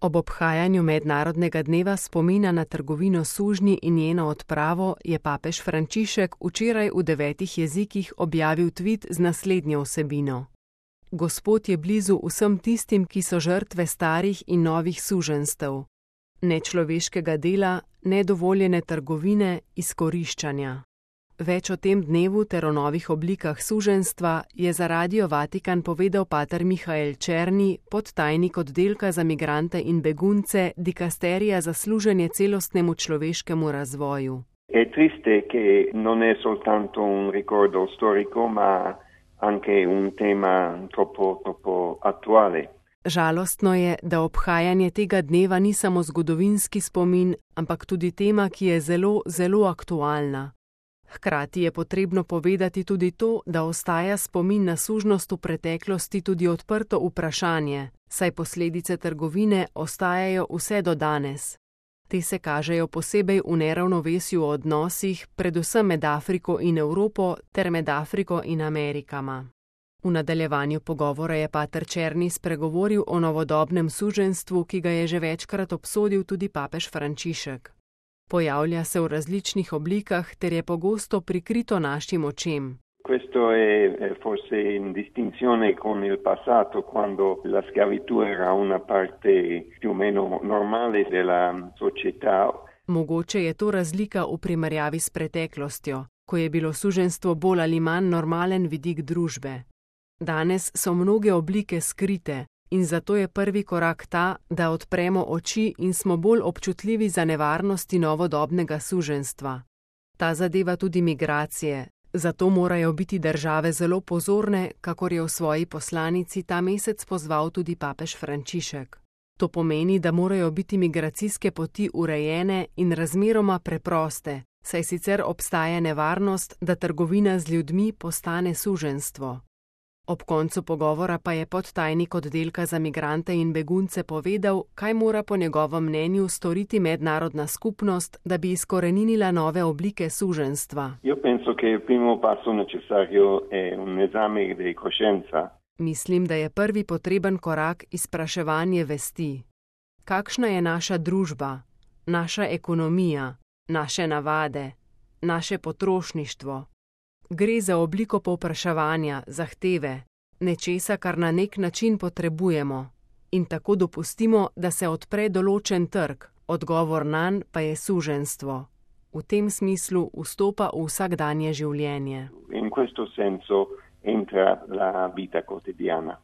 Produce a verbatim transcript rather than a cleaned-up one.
Ob obhajanju mednarodnega dneva spomina na trgovino s sužnji in njeno odpravo je papež Frančišek včeraj v devetih jezikih objavil tvit z naslednjo vsebino. Gospod je blizu vsem tistim, ki so žrtve starih in novih suženjstev, nečloveškega dela, nedovoljene trgovine, izkoriščanja. Več o tem dnevu ter o novih oblikah suženjstva je za Radio Vatikan povedal pater Mihael Černi, podtajnik oddelka za migrante in begunce dikasterija za služenje celostnemu človeškemu razvoju. È triste che non è soltanto un ricordo storico, ma anche un tema troppo, troppo attuale. Žalostno je, da obhajanje tega dneva ni samo zgodovinski spomin, ampak tudi tema, ki je zelo, zelo aktualna. Hkrati je potrebno povedati tudi to, da ostaja spomin na sužnost v preteklosti tudi odprto vprašanje, saj posledice trgovine ostajajo vse do danes. Te se kažejo posebej v neravnovesju v odnosih, predvsem med Afriko in Evropo ter med Afriko in Amerikama. V nadaljevanju pogovora je pater Černi spregovoril o novodobnem suženjstvu, ki ga je že večkrat obsodil tudi papež Frančišek. Pojavlja se v različnih oblikah ter je pogosto prikrito našim očem. Questo è forse in distinzione con il passato, quando la schiavitù era una parte più o meno normale della società. Mogoče je to razlika v primerjavi s preteklostjo, ko je bilo suženjstvo bolj ali manj normalen vidik družbe. Danes so mnoge oblike skrite in zato je prvi korak ta, da odpremo oči in smo bolj občutljivi za nevarnosti novodobnega suženjstva. Ta zadeva tudi migracije, zato morajo biti države zelo pozorne, kakor je v svoji poslanici ta mesec pozval tudi papež Frančišek. To pomeni, da morajo biti migracijske poti urejene in razmeroma preproste, saj sicer obstaja nevarnost, da trgovina z ljudmi postane suženjstvo. Ob koncu pogovora pa je podtajnik oddelka za migrante in begunce povedal, kaj mora po njegovem mnenju storiti mednarodna skupnost, da bi izkoreninila nove oblike suženjstva. Io penso che il primo passo necessario è un esame di coscienza. Mislim, da je prvi potreben korak izpraševanje vesti. Kakšna je naša družba, naša ekonomija, naše navade, naše potrošništvo? Gre za obliko povpraševanja, zahteve, nečesa, kar na nek način potrebujemo, in tako dopustimo, da se odpre določen trg, odgovor nanj pa je suženjstvo. V tem smislu vstopa v vsakdanje življenje. In questo senso entra la vita quotidiana.